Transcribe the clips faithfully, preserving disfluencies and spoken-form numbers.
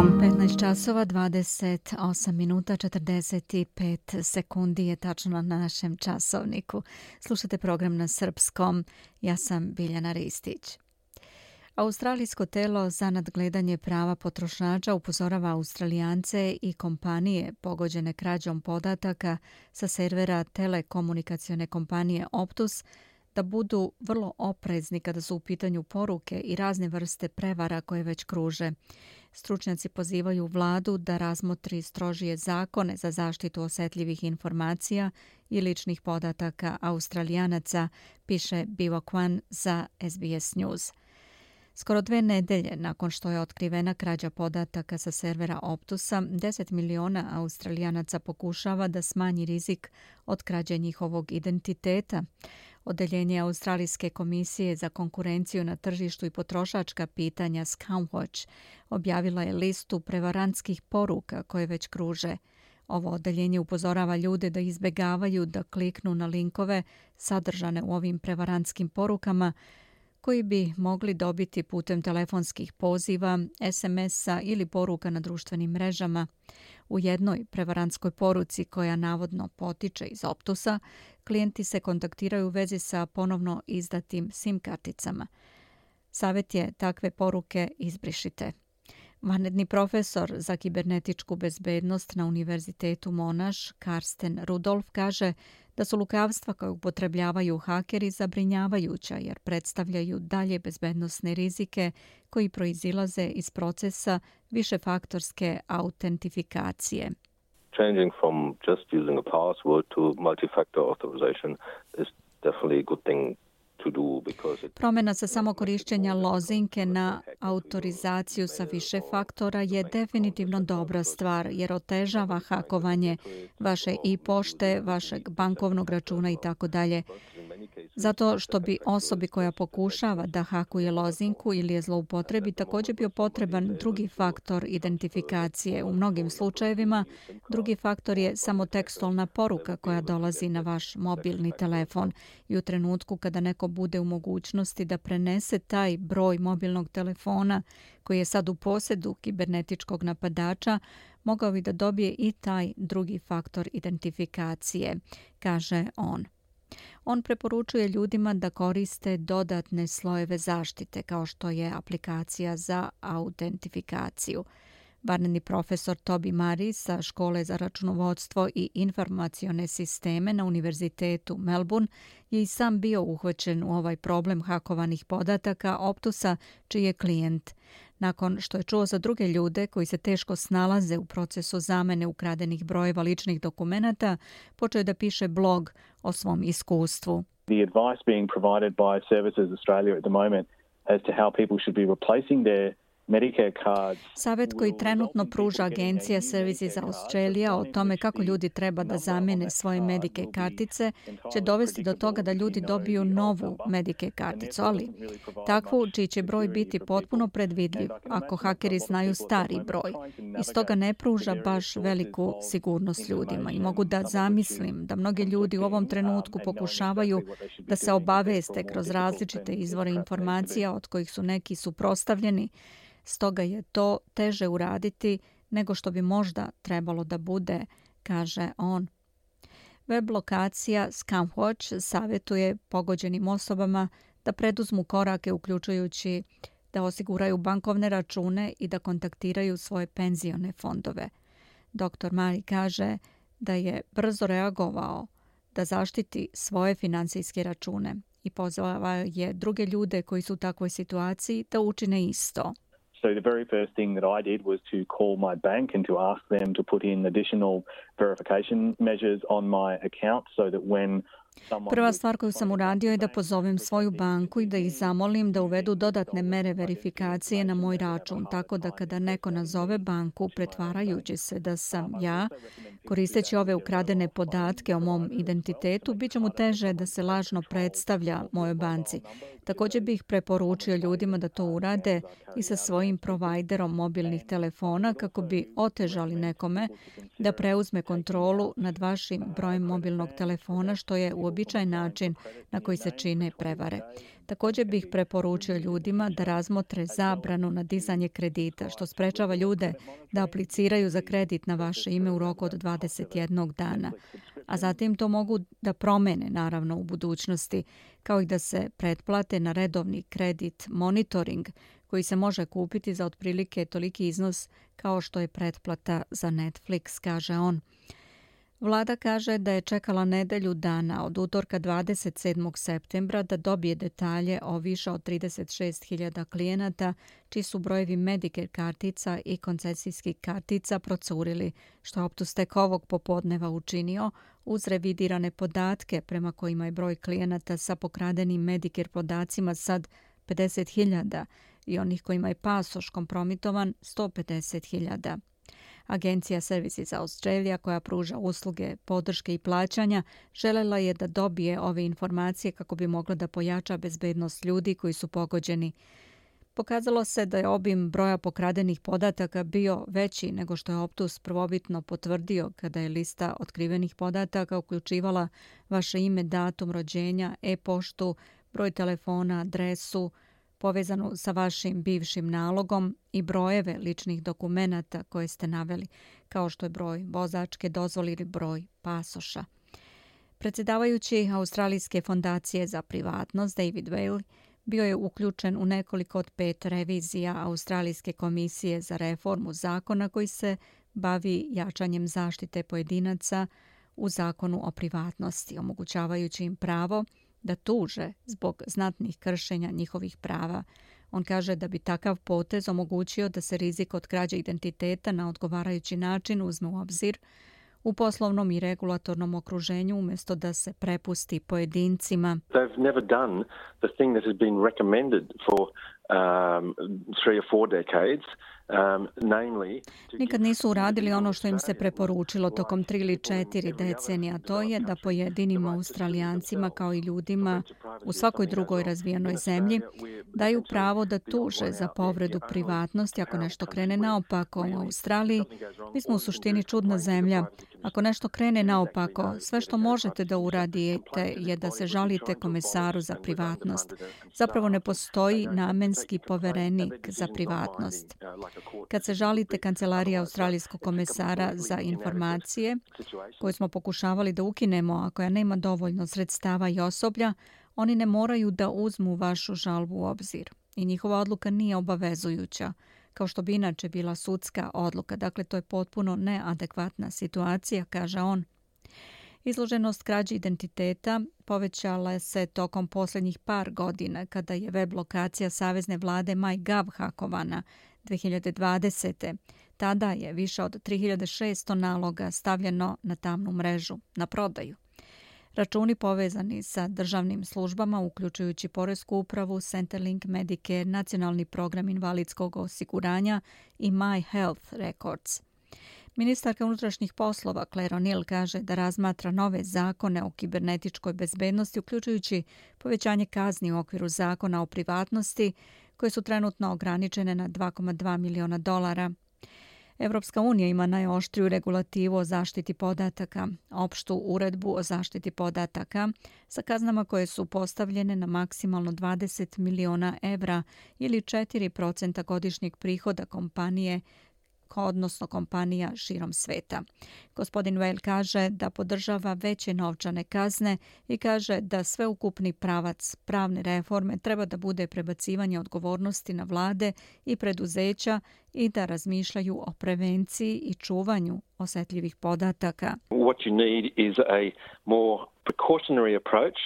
petnaest časova, dvadeset osam minuta, četrdeset pet sekundi je tačno na našem časovniku. Slušate program na srpskom. Ja sam Biljana Ristić. Australijsko telo za nadgledanje prava potrošača upozorava Australijance i kompanije pogođene krađom podataka sa servera telekomunikacione kompanije Optus da budu vrlo oprezni kada su u pitanju poruke i razne vrste prevara koje već kruže. Stručnjaci pozivaju vladu da razmotri strožije zakone za zaštitu osetljivih informacija i ličnih podataka Australijanaca, piše Biwa Kwan za S B S News. Skoro dve nedelje nakon što je otkrivena krađa podataka sa servera Optusa, deset miliona Australijanaca pokušava da smanji rizik od krađe njihovog identiteta. Odeljenje Australijske komisije za konkurenciju na tržištu i potrošačka pitanja Scamwatch objavila je listu prevarantskih poruka koje već kruže. Ovo odeljenje upozorava ljude da izbegavaju da kliknu na linkove sadržane u ovim prevarantskim porukama koji bi mogli dobiti putem telefonskih poziva, es em es-a ili poruka na društvenim mrežama. U jednoj prevarantskoj poruci koja navodno potiče iz Optusa, klijenti se kontaktiraju u vezi sa ponovno izdatim SIM karticama. Savjet je takve poruke izbrišite. Vanredni profesor za kibernetičku bezbednost na Univerzitetu Monash, Karsten Rudolf, kaže da su lukavstva koje upotrebljavaju hakeri zabrinjavajuća jer predstavljaju dalje bezbednosne rizike koji proizilaze iz procesa višefaktorske autentifikacije. Changing from just using a password to multi-factor authorization is definitely a good thing. Promjena sa samokorišćenja lozinke na autorizaciju sa više faktora je definitivno dobra stvar jer otežava hakovanje vaše e-pošte, vašeg bankovnog računa i tako dalje. Zato što bi osobi koja pokušava da hakuje lozinku ili je zloupotrebi također bio potreban drugi faktor identifikacije. U mnogim slučajevima drugi faktor je samo tekstualna poruka koja dolazi na vaš mobilni telefon i u trenutku kada neko bude u mogućnosti da prenese taj broj mobilnog telefona koji je sad u posjedu kibernetičkog napadača, mogao bi da dobije i taj drugi faktor identifikacije, kaže on. On preporučuje ljudima da koriste dodatne slojeve zaštite, kao što je aplikacija za autentifikaciju. Vanredni profesor Toby Murray sa Škole za računovodstvo i informacione sisteme na Univerzitetu Melbourne je i sam bio uhvaćen u ovaj problem hakovanih podataka Optusa, čiji je klijent. Nakon što je čuo za druge ljude koji se teško snalaze u procesu zamene ukradenih brojeva ličnih dokumenata, počeo je da piše blog o svom iskustvu. The advice being provided by Services Australia at the moment as to how people should be replacing their Savjet koji trenutno pruža agencija Services Australia o tome kako ljudi treba da zamene svoje Medicare kartice će dovesti do toga da ljudi dobiju novu Medicare karticu, ali takvu čiji će broj biti potpuno predvidljiv ako hakeri znaju stari broj. I stoga ne pruža baš veliku sigurnost ljudima. I mogu da zamislim da mnogi ljudi u ovom trenutku pokušavaju da se obaveste kroz različite izvore informacija od kojih su neki suprotstavljeni. Stoga je to teže uraditi nego što bi možda trebalo da bude, kaže on. Web lokacija Scamwatch savjetuje pogođenim osobama da preduzmu korake uključujući da osiguraju bankovne račune i da kontaktiraju svoje penzione fondove. doktor Murray kaže da je brzo reagovao da zaštiti svoje financijske račune i pozvao je druge ljude koji su u takvoj situaciji da učine isto. So the very first thing that I did was to call my bank and to ask them to put in additional verification measures on my account so that when Prva stvar koju sam uradio je da pozovem svoju banku i da ih zamolim da uvedu dodatne mere verifikacije na moj račun, tako da kada neko nazove banku pretvarajući se da sam ja, koristeći ove ukradene podatke o mom identitetu, bit će mu teže da se lažno predstavlja mojoj banci. Također bih preporučio ljudima da to urade i sa svojim provajderom mobilnih telefona kako bi otežali nekome da preuzme kontrolu nad vašim brojem mobilnog telefona, što je uobičajen način na koji se čine prevare. Također bih preporučio ljudima da razmotre zabranu na dizanje kredita, što sprečava ljude da apliciraju za kredit na vaše ime u roku od dvadeset jednog dana. A zatim to mogu da promene, naravno, u budućnosti, kao i da se pretplate na redovni kredit monitoring, koji se može kupiti za otprilike toliki iznos kao što je pretplata za Netflix, kaže on. Vlada kaže da je čekala nedelju dana od utorka dvadeset sedmog septembra da dobije detalje o više od trideset šest hiljada klijenata čiji su brojevi Medicare kartica i koncesijskih kartica procurili, što je Optus tek ovog popodneva učinio uz revidirane podatke prema kojima je broj klijenata sa pokradenim Medicare podacima sad pedeset hiljada i onih kojima je pasoš kompromitovan sto pedeset hiljada. Agencija Services Australia, koja pruža usluge podrške i plaćanja, željela je da dobije ove informacije kako bi mogla da pojača bezbednost ljudi koji su pogođeni. Pokazalo se da je obim broja pokradenih podataka bio veći nego što je Optus prvobitno potvrdio kada je lista otkrivenih podataka uključivala vaše ime, datum rođenja, e-poštu, broj telefona, adresu, povezanu sa vašim bivšim nalogom i brojeve ličnih dokumenata koje ste naveli, kao što je broj vozačke dozvole ili broj pasoša. Predsjedavajući Australijske fondacije za privatnost, David Whaley, bio je uključen u nekoliko od pet revizija Australijske komisije za reformu zakona koji se bavi jačanjem zaštite pojedinaca u zakonu o privatnosti, omogućavajući im pravo da tuže zbog znatnih kršenja njihovih prava. On kaže da bi takav potez omogućio da se rizik od krađe identiteta na odgovarajući način uzme u obzir u poslovnom i regulatornom okruženju umjesto da se prepusti pojedincima. They've never done the thing that has been recommended for um, three or four decades. Um, namely, Nikad nisu uradili ono što im se preporučilo tokom tri ili četiri decenija, to je da pojedinim Australijancima kao i ljudima u svakoj drugoj razvijenoj zemlji daju pravo da tuže za povredu privatnosti ako nešto krene naopako. U Australiji mi smo u suštini čudna zemlja. Ako nešto krene naopako, sve što možete da uradite je da se žalite komesaru za privatnost. Zapravo ne postoji namenski poverenik za privatnost. Kad se žalite kancelariji australijskog komesara za informacije, koju smo pokušavali da ukinemo, a koja nema dovoljno sredstava i osoblja, oni ne moraju da uzmu vašu žalbu u obzir. I njihova odluka nije obavezujuća, kao što bi inače bila sudska odluka. Dakle, to je potpuno neadekvatna situacija, kaže on. Izloženost krađi identiteta povećala se tokom posljednjih par godina kada je web lokacija savezne vlade MyGov hakovana dvije hiljade dvadesete. Tada je više od tri hiljade šesto naloga stavljeno na tamnu mrežu, na prodaju. Računi povezani sa državnim službama, uključujući Poresku upravu, Centrelink, Medicare, Nacionalni program invalidskog osiguranja i My Health Records. Ministarka unutrašnjih poslova Claire O'Neill kaže da razmatra nove zakone o kibernetičkoj bezbednosti, uključujući povećanje kazni u okviru zakona o privatnosti, koje su trenutno ograničene na dva zarez dva miliona dolara. Evropska unija ima najoštriju regulativu o zaštiti podataka, opštu uredbu o zaštiti podataka, sa kaznama koje su postavljene na maksimalno dvadeset miliona evra ili četiri posto godišnjeg prihoda kompanije, odnosno kompanija širom sveta. Gospodin Whale kaže da podržava veće novčane kazne i kaže da sveukupni pravac pravne reforme treba da bude prebacivanje odgovornosti na vlade i preduzeća i da razmišljaju o prevenciji i čuvanju osetljivih podataka. What you need is a more precautionary approach,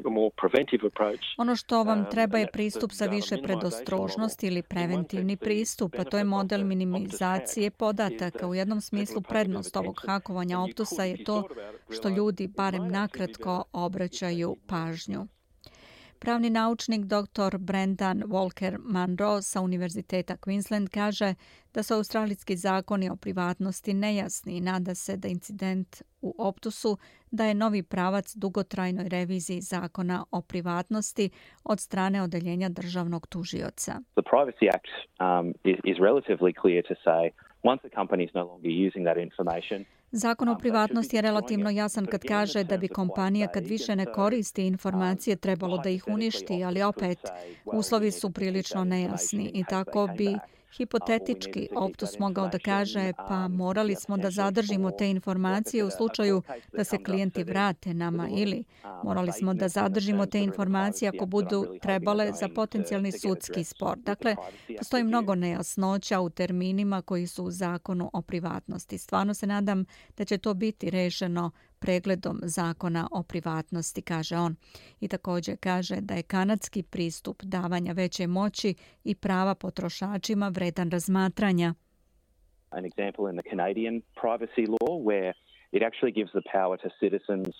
a more preventive approach. Ono što vam treba je pristup sa više predostrožnosti ili preventivni pristup, a to je model minimizacije podataka. U jednom smislu prednost ovog hakovanja Optusa je to što ljudi barem nakratko obraćaju pažnju. Pravni naučnik doktor Brendan Walker Munro sa Univerziteta Queensland kaže da su australijski zakoni o privatnosti nejasni i nada se da incident u Optusu daje novi pravac dugotrajnoj reviziji zakona o privatnosti od strane odeljenja državnog tužioca. The Privacy Act um, is, is relatively clear to say once a company is no longer using that information. Zakon o privatnosti je relativno jasan kad kaže da bi kompanija kad više ne koristi informacije trebalo da ih uništi, ali opet uslovi su prilično nejasni i tako bi hipotetički Optus mogao da kaže pa morali smo da zadržimo te informacije u slučaju da se klijenti vrate nama ili morali smo da zadržimo te informacije ako budu trebale za potencijalni sudski spor. Dakle, postoji mnogo nejasnoća u terminima koji su u zakonu o privatnosti. Stvarno se nadam da će to biti rešeno pregledom zakona o privatnosti, kaže on. I također kaže da je kanadski pristup davanja veće moći i prava potrošačima vredan razmatranja. An example in the Canadian privacy law where it actually gives the power to citizens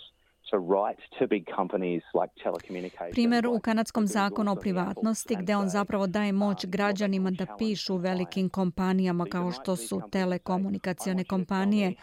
to write to big companies like telecommunications. Primjer u kanadskom zakonu o privatnosti gdje on zapravo daje moć građanima da pišu velikim kompanijama kao što su telekomunikacione kompanije,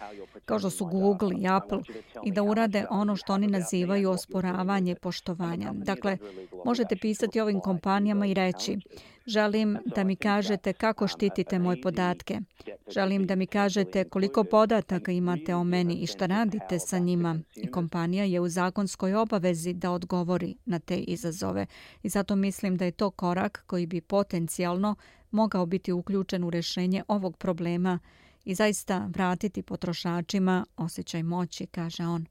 kao što su Google i Apple i da urade ono što oni nazivaju osporavanje poštovanja. Dakle, možete pisati ovim kompanijama i reći: želim da mi kažete kako štitite moje podatke. Želim da mi kažete koliko podataka imate o meni i šta radite sa njima. I kompanija je u zakonskoj obavezi da odgovori na te izazove. I zato mislim da je to korak koji bi potencijalno mogao biti uključen u rješenje ovog problema i zaista vratiti potrošačima osjećaj moći, kaže on.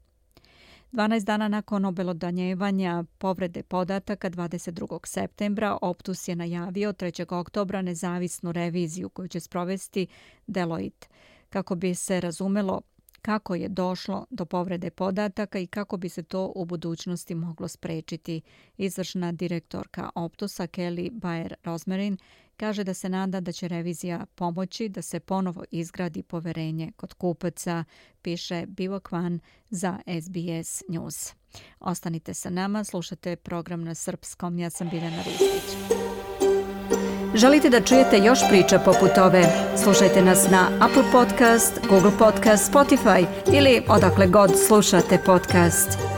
dvanaest dana nakon obelodanjevanja povrede podataka dvadeset drugog septembra Optus je najavio trećeg oktobra nezavisnu reviziju koju će sprovesti Deloitte kako bi se razumelo kako je došlo do povrede podataka i kako bi se to u budućnosti moglo sprečiti. Izvršna direktorka Optusa Kelly Bayer-Rosmarin kaže da se nada da će revizija pomoći da se ponovo izgradi poverenje kod kupaca, piše Bivo Kvan za S B S News. Ostanite sa nama, slušate program na srpskom. Ja sam Biljana Ristić. Želite da čujete još priča poput ove? Slušajte nas na Apple Podcast, Google Podcast, Spotify ili odakle god slušate podcast.